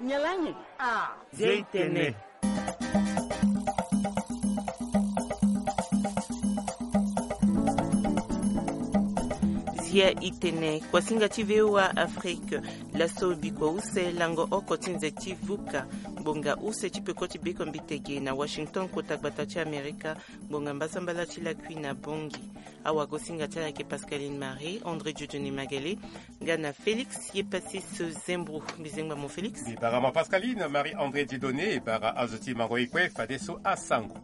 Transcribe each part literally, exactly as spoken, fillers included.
Nyalangi. Ah. Zia itene. Zia itene. Kuasinga ti V O A Afrique. Laso bikua use lango oko ti nze ti vuka. Ngbonga use ti peko ti beko mbitege na Washington, kota gbata ti Amerika. Ngbonga mbasambala ti lakui na bongi. Awagosinga ti ala ayeke Pascaline Marie, André Dieudonné Magalé, nga na Félix Yepassis Zembro. Mbi zengba mo Félix. Mbi bara mo Pascaline Marie André Dieudonné, e bara azo ti mango e kue fadeso asango.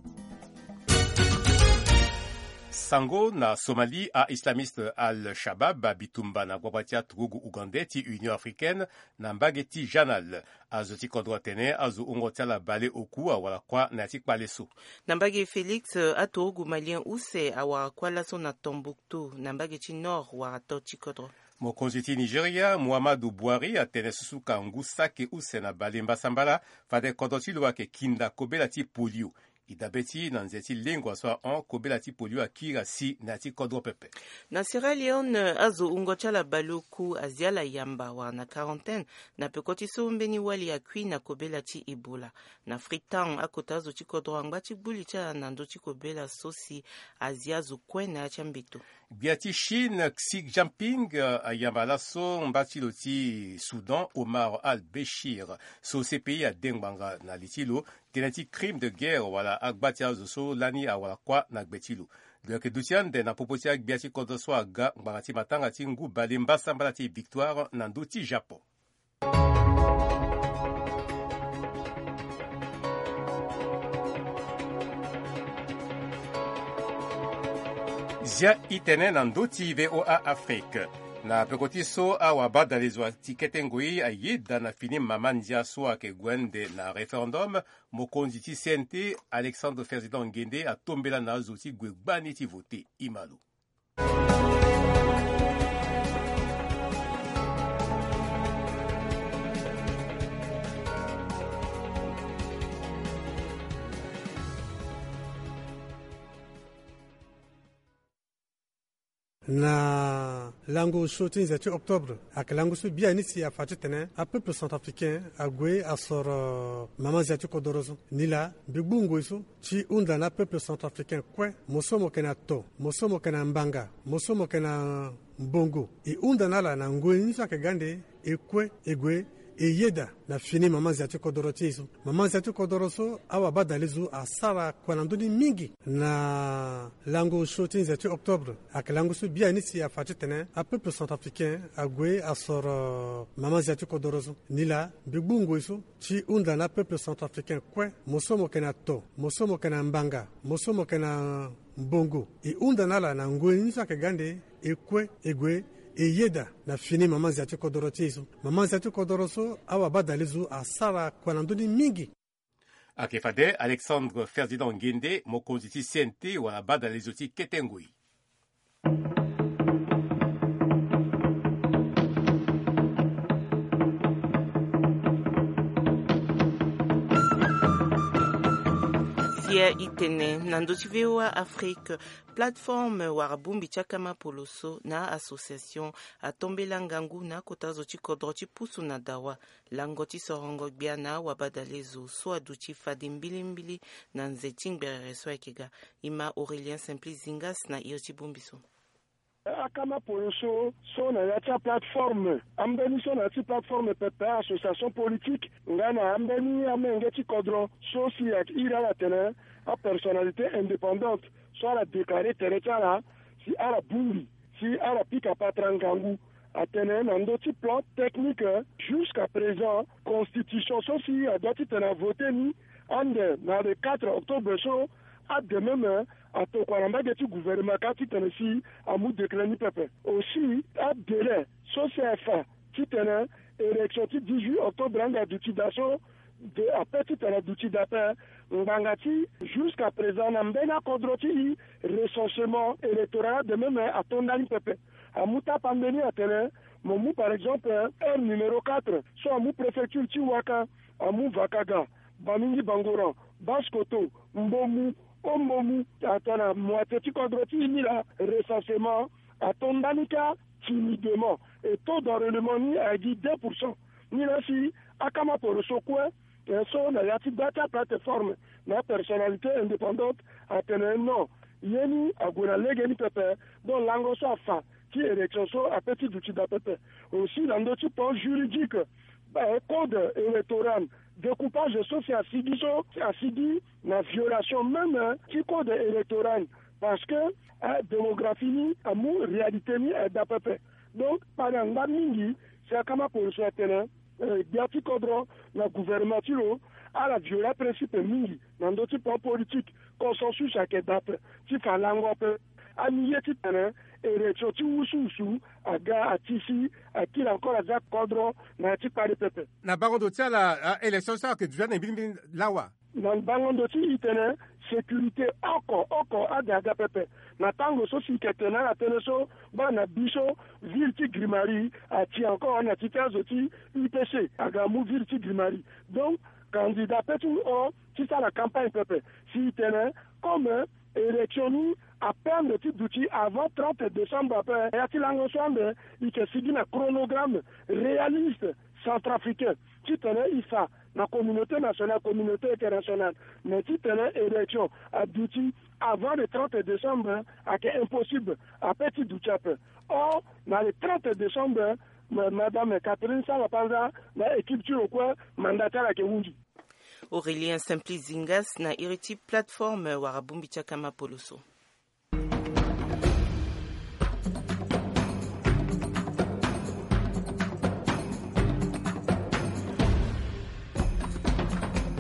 Sango na Somalie, a-islamiste Al-Shabab abitumba na gbagba ti aturugu ougandais ti Union africaine na mbage ti Janal. Azo ti kodro atene azo wungo ti ala bale oku awara kuâ na ya ti kpale so. Na mbage Félix, aturugu malien use awara kuâ laso na Tombouctou, na mbage ti nord wara to ti kodro. Mokonzi ti Nigeria, Muhammadu Buhari, atene susuka ngu saki use na bale mbasambala, fade kodro ti lo ayeke kinda kobela ti polio. E dabe ti na nze ti lengua so ahon, kobela ti polio akiri asi na ya ti kodro pepe. Na Sierra Leone, azo wungo ti ala baleoku azi ala yamba wala na quarantaine, na peko ti so mbeni wali akui na kobela ti Ebola. Na Freetown, akota azo ti kodro angba ti gbu li ti ala na ndö ti kobela so si azi azo kue na ya ti ambeto. Gbia ti Chine, Xi Jinping, eh, ayamba laso mba ti lo ti Soudan, Omar al-Bashir, so C P I ade ngbanga na li ti lo, tënë ti crime de guerre wala agba ti azo so lani awara kuâ na gbe ti lo. Lo yeke duti ande na popo ti agbia ti kodro so aga ngbanga ti matanga ti ngu bale mbasambala ti Victoire na ndö ti Japon. Zia itene na ndö ti V O A Afrique. Na peko ti so awabadale zo ti kete ngoi ayeda na fini mama ndia so ayeke gue ande na référendum, mokonzi ti C N T, Alexandre Ferdinand Nguende, atombela na azo ti gue gbani ti vote. E ma lo. Na lango so ti nze ti octobre, ayeke lango so biani si afa titene apeuple centrafricain ague asoro mama nzia ti kodoro so. Nilaa mbi gbu ngoi so ti hunda na apeuple centrafricain kue, mo so mo yeke na to, mo so mo yeke na mbanga, mo so mo yeke na mbongo, e hunda na ala na ngoi ni so ayeke ga ande, e kue e gue e yeda na fini mama nzia ti kodoro ti e so. Mama nzia ti kodoro so, awabadale zo asara kua na ndö ni mingi. Na lango so ti nze ti octobre, ayeke lango so biani si afa titene apeuple centrafricain ague asoro mama nzia ti kodoro so. Nilaa mbi gbu ngoi so ti hunda na apeuple centrafricain kue, mo so mo yeke na to, mo so mo yeke na mbanga, mo so mo yeke na mbongo, e hunda na ala na ngoi ni so ayeke ga ande, e kue e gue e yeda na fini mama nzia ti kodoro ti e so. Mama nzia ti kodoro so, awabadale zo asara kua na ndö ni mingi. Ayeke fade Alexandre Ferdinand Nguende, mokonzi ti C N T wala badale zo ti kete ngoi. Zia itene na ndö ti V O A Afrique. Plateforme wala bongbi ti akama poloso na association atombela ngangu na akota zo ti kodro ti pusu na dawa. Lango ti sorongo gbia na awabadale zo so aduti fade mbilimbili na nze ti ngberere so ayeke ga. E ma Aurélien Simplice Zingas na iri ti bongbi so. Akama poloso so na ya ti aplateforme, ambeni so na ya ti plateforme pepe, association politique, nga na ambeni amenge ti kodro so si ayeke iri ala atene apersonnalité indépendante, so ala déclarer tere ti ala si ala bongbi, si ala pika patara ngangu. Atene na ndö ti plan technique, jusqu'à présent constitution so si adoit titene avote ni ande na le quatre octobre so, ade même atokua na mbage ti gouvernement kâ titene si amu décret ni pepe. Aussi, adélai so si afa titene élection ti dix-huit octobre ande aduti daa so, de ape titene aduti daa ape. Ngbanga ti jusqu'à présent na mbeni akodro ti recensement électoral ade même ato ndani pepe. Amu tapande ni atene, mo mu par exemple aire numéro quatre so amu préfecture ti Ouakam, amu Vakaga, Bamingi Bangoran, Basse-Kotto, Mbomou, Haut-Mbomou, atene moitié ti kodro ti e ni laa recensement ato ndani kâ timidement, et taux d'enrôlement ni ayeke gi deux pour cent. Ni laa si aka Amapolo so kue, eh, so na ya ti gba ti aplateforme na personnalité indépendante, atene non, ye ni ague na lege ni pepe. Donc lango so afa ti élection so ape ti duti daa pepe. Aussi na ndö ti pont juridique, eh, code électoral, découpage so si asigi so si asigi na violation même, eh, ti code électoral, parce que, eh, démographie ni amu réalité ni, eh, daa pepe. Donc kpale angba mingi si akama polo so atene, eh, gbia ti kodro na gouvernement ti lo ala viola principe mingi na ndö ti plan politique, consensus ayeke daa ape ti fa lango ape. Ani ye titene élection ti wusuwusu aga ati si akiri encore aza kodro na ya ti kpale pepe. Na bango ndo ti ala, ah, élection so ayeke duti na mbirimbiri lawa. Na bango ndo ti e tene sécurité oko oko ade aga pepe. Na tango so si e yeke tene ala tënë so, baa na biso, ville ti Grimari ati encore na ti ti azo ti U P C aga mu ville ti Grimari. Donc candidat ape ti mu hon ti sara campagne pepe. Si e tene comme élection ni apendre ti duti avant trente décembre ape, ya ti lango so ande e yeke sigi na chronogramme réaliste centrafricain titene e fa na communauté nationale, communauté internationale, mais titene élection aduti avant le trente décembre ayeke impossible, ape ti duti ape. Or na le trente décembre, ma- madame Catherine Sala Panza na équipe ti lo kue, mandat ti ala ayeke hunzi. Aurélien Simplice Zingas na iri ti plateforme wara bongbi ti akama polo so.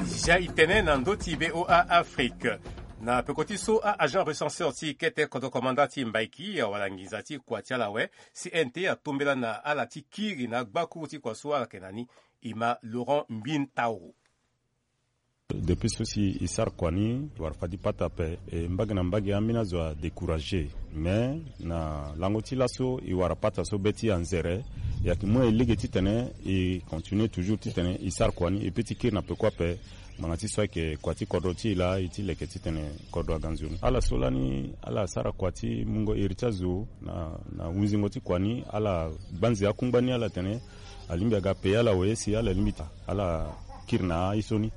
Zia e tene na ndö ti V O A Afrique. Na peko ti so a-agent recenseur ti kete kodro komanda ti Mbaiki awara nginza ti kua ti ala awe, C N T atombela na ala ti kiri na agbakuru ti kua so ala yeke na ni. E ma Laurent Mbin Tauro. Depuis so si e sara kua ni, e wara fadi pata ape, e mbage na mbage ambeni azo adécouragé. Mais na lango ti laso e wara pata so be ti anzere, e yeke mu na e lege titene e continue toujours titene e sara kua ni, e peut ti kiri na peko ape. Ngbanga ti so ayeke kua ti kodro ti e laa e ti leke titene kodro aga nzoni. Ala so lani ala sara kua ti mungo iri ti azo na, na hunzingo ti kua ni, ala gbanzi akungba ni, ala tene alingbi aga payer ala we si ala lingbi ta ala kiri na aye so ni.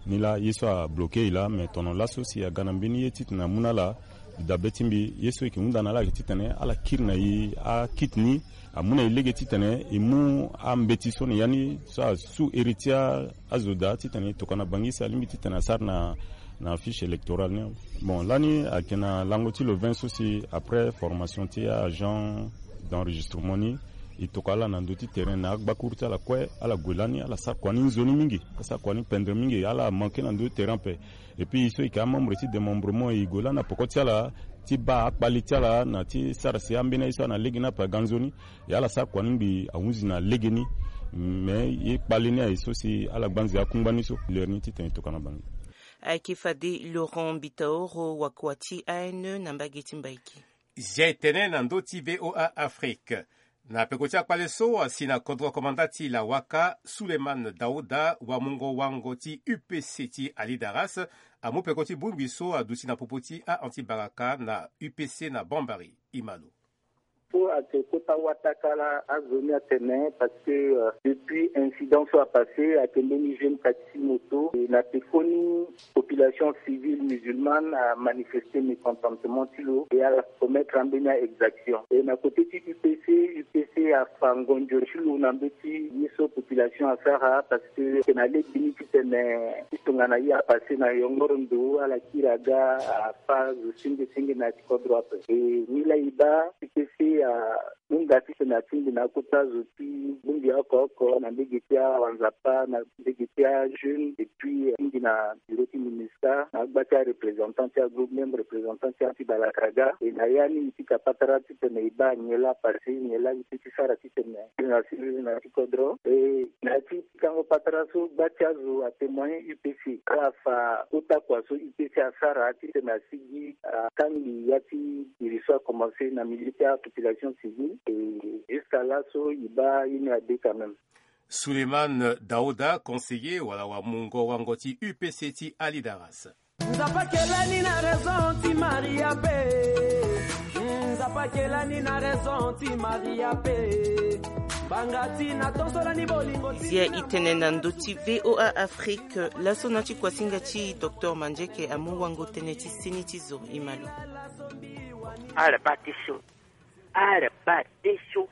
Ni laa ye so abloke e laa, mais tono laso si aga na mbeni ye titene amu na ala dabe ti mbi, ye so e yeke hunda na ala ayeke titene ala kiri na e akiti ni, amu na e lege titene e mu ambeti so na ya ni so asu iri ti a- azo daa titene e tokua na Bangui si alingbi titene asara na, na fiche électorale ni. Bon, lani ayeke na lango ti le vingt so si après formation ti a-agent d'enregistrement ni, e tokua ala na ndö ti terrain na agbakuru ti ala kue, ala gue lani, ala sara kua ni nzoni mingi, ala sara kua ni pendre mingi, ala manke na ndö ti terrain ape. Et puis e so e yeke amembre ti démembrement, e gue lani na peko ti ala ti baa akpali ti ala na ti sara si ambeni aye so ana lege ni ape aga nzoni. E ala sara kua ni mbi ahunzi na lege ni. Mais ye kpali ni aye so si ala gbanzi akungba ni so leri ni titene e tokua na Bangui. Ayeke fade Laurent Bitaoro, wakua ti A N E na mbage ti Mbaiki. Zia e tene na ndö ti V O A Afrique. Na peko ti akpale so asi na kodro komanda ti Lawaka, Suleiman Daouda, wamungo wango ti U P C ti Ali Daras, amu peko ti bongbi so aduti na popo ti a-anti-baraka na U P C na Bambari. E ma lo. Po ayeke kota wataka la azo ni atene, parce que, euh, depuis incident so apasse, ayeke mbeni jeune taxi moto, e na pekoni population civile musulmane amanifeste mécontentement ti lo, e ala commettre ambeni a-exaction. E na côté ti U P C, U P C afa ngonzo ti lo na mbeti ye so population asara, parce que ayeke na lege ni titene ti tongana ye apasse na yongoro ndo, ala kiri aga, afa zo senge senge na ya ti kodro ape. E ni laa e baa U P C ahunda titene atingbi na akota zo ti bongbi oko oko na mbage ti awanzapa, na mbage ti ajeune, et puis, eh, atingbi na bureau ti MINUSCA na agba ti areprésentant ti agroupe, même représentant ti anti-balaka aga. E na ya ni e pika patara titene e baa nyen laa apasse, nyen laa e peut ti sara titene e na siriri na ya ti kodro. E na ya ti pikango patara so, gba ti azo atémoigné U P C, ala fa kota kua so U P C asara titene asigi akangbi ya ti iri so akomanse na milieu ti apopulation civile. E jusqu'à laso e baa ye ni ade quand même. Suleiman Daouda, conseiller wala wamungo wango ti U P C ti Ali Daras. Nzapa kelani na raison ti Maria pe. Nzapa kelani na raison ti Maria pe. Zia i tene na ndö ti VOA Afrique, laso na ti kuasinga ti docteur Mandieke amu wango tënë ti seni ti zo. I ma lo. Ala bâ ti so, ala bâ ti so.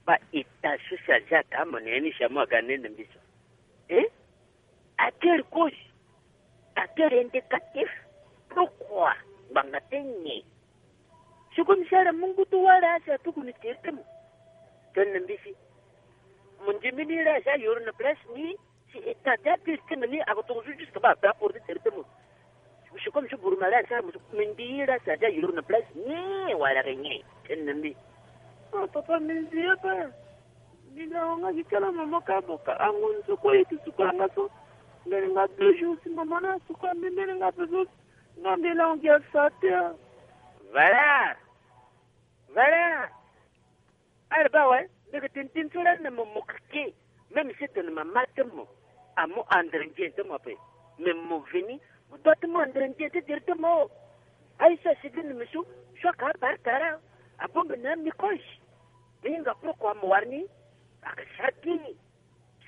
Bâ état so chargé aka mo na ye ni, chargé mo aga nene mbi so. Eh? Acteur cause, acteur indicatif. Pourquoi? Ngbanga ti nyen? Si comme si ala mu ngu ti wara asi atuku ni teri ti mo. Tene na mbi si mo ndimi ni la asi ayoro na place ni. Si état ti apiri ti mo ni ako tongo so jusque bâ ape aporo ti teri ti mo. Si comme si buruma la asi amo so mo ndi la asi asi ayoro na place ni wala ke nyen? Tene na mbi. Ah, papa, mbi nzi ye pe. Mbi na wanga gi kala mama ka boka ango ni so kue ye ti suka nga so. Mbeni nga deux jours si mama na suka mbi mbeni nga pe so. Nga mbi la wanga gi asa te. Voilà. Voilà. Ala bâ awe, mbi yeke tene tënë so lani na mo, mo keke. Même si tene mama ti mo amu andre nzien ti mo ape, mais mo veni, mo doit ti mu andre nzien ti diri ti mo. Aye so asi gi na mbi so, so aka abare kara. Abongbi na mbi koche. Mbi hinga pourquoi mo wara ni? Aka sara ti ni.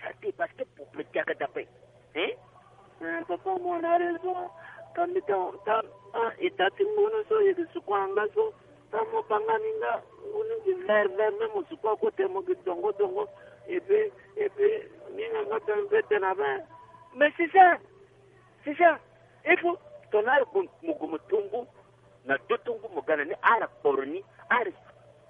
Sara ti parce que pour petit aka dape. Hein? Eh, papa, mo na raison. Ka mbi ta, ta, ah, état ti ngbonu so ye ti suku anga so. Ta mo banga ni nga, ngbonu gi vert vert, même mo suku akote mo gi dongo dongo. Et puis, et puis, ni nga nga ta mpe tene abe. Mais c'est ça. C'est ça. Il faut tongana ala gue mo gue mo tongo. Na do tongo mo ga na ni, ala kporo ni, ala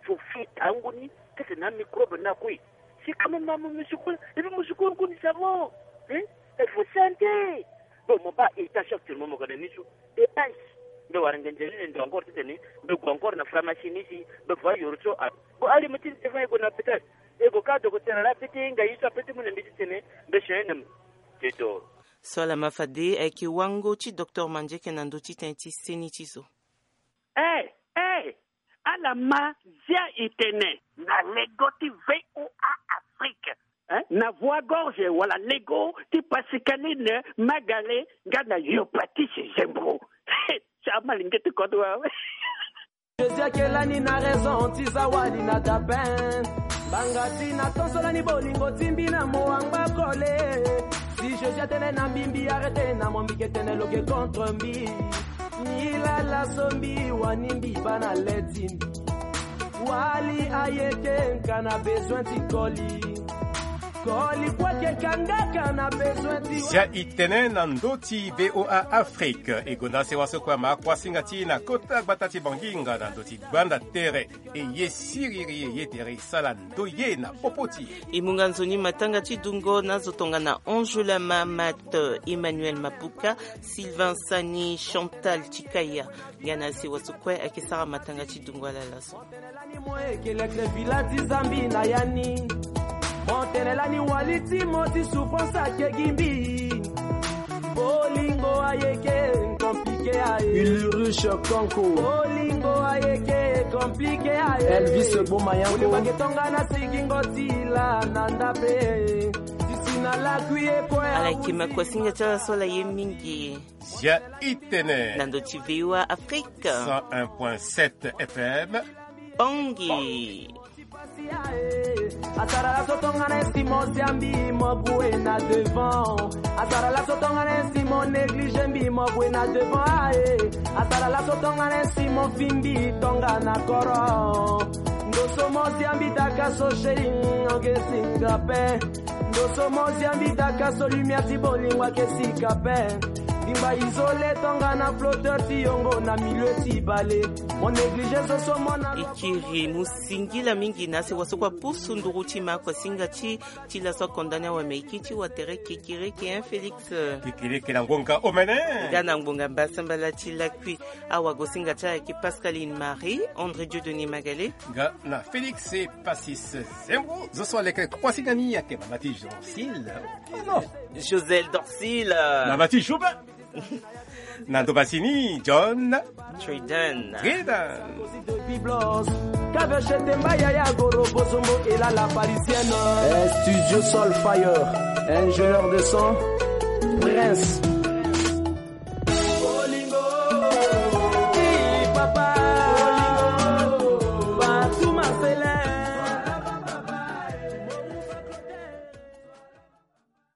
so fi tango ni, kete na microbe na kue. Si quand même mo musukulu, et puis musukulu kuni ça va. Hein? Il faut santé. Bon, mo bâ état actuellement mo ga na ni so. Et ice. Mbi wara nge nzeni ni ndo encore ti tene. Mbi gue encore na pharmacie ni si. Mbi voit yoro so. Ah. Bon, ali mo ti devant e gue na hôpital. E gue ka dogo tene la peti nga yi so peti mu na mbi ti tene. Mbi chene na mo. Te doro. So ala ma fade ayeke wango ti docteur Mandieke na ndö ti tënë ti seni ti zo. Eh, eh, ala ma zia e tene. Na lego ti VOA Afrique. Eh? Na voix gorge wala lego ti Pascaline Magale nga na Yopatis Zembro. Ti amalenge ti kodro awe. Jésus akela ni na raison ti za wali na dabe. Banga ti na tonso lani bolingo ti mbi na mo angba kole. Si Jésus atene na mbi, mbi arrêté na mo, mbi ke tene lo ke contre mbi. Ni lala so mbi wani mbi bâ na le ti mbi. Wali ayeke nka na besoin ti koli. Koli kue ayeke kangaka na besoin ti. Zia e tene na ndö ti VOA Afrique. E gonda sewa so kue ama kuasinga ti e na kota gbata ti Banginga na ndö ti gbanda tere. E ye siriri, e ye tere, e sala ndoye na popo ti e. E mu nga nzoni matanga ti dungo na azo tongana Ange Lama, Mat, Emmanuel Mapuka, Sylvain Sani, Chantal Tikaya. Nga na sewa so kue ayeke sara matanga ti dungo ala laso. Mo tene lani mo yeke lekre vila ti Zambi na ya ni. Mo tene lani wali ti mo ti souffrance ayeke gi mbi. Bolingo ayeke compliqué aye. Ulrich Konko. Bolingo ayeke compliqué aye. Elvis Bomayanko. Bolingo ayeke tongana sigingo ti la na ndape. Ti si na lakui e kue. Ala yeke ma kuasinga ti ala so ala ye mingi. Zia e tene. Na ndö ti VOA Afrique. Cent un point sept F M. Bongi. Asara laso tongana esi mo zia mbi mo gue na devant. Asara laso tongana esi mo négligé mbi mo gue na devant aye. Asara laso tongana esi mo fi mbi tongana koro. Ndo so mo zia mbi daka so chéri oke singa pe. Ndo so mo zia mbi daka so lumière ti bolingo ayeke sika pe. Bingba isolé tongana flotteur ti yongo na milieu ti bale. Mo négligé so so mo na. E kiri mu singila mingi na sewa so kue apusu nduru ti ma kuasinga ti ti laso akonda ni awe me e kiri ti watere kekereke, hein, Félix? Kekereke na ngonga omene. Nga na ngbonga mbasambala ti lakui. Awagosinga ti ala ayeke Pascaline Marie, André Dieudonné Magale. Nga na Félix Passis Zembo, zo so aleke kuasinga ni ayeke mama ti Dorcile. Oh non. Josel Dorcile. Mama ti Joubin. Na ndo basi ni, John. Tridon. Tridon. Kave chete mba yaya goro bozombo et la la parisienne. Eh, Studio Sol Fire, ingénieur de son, Prince.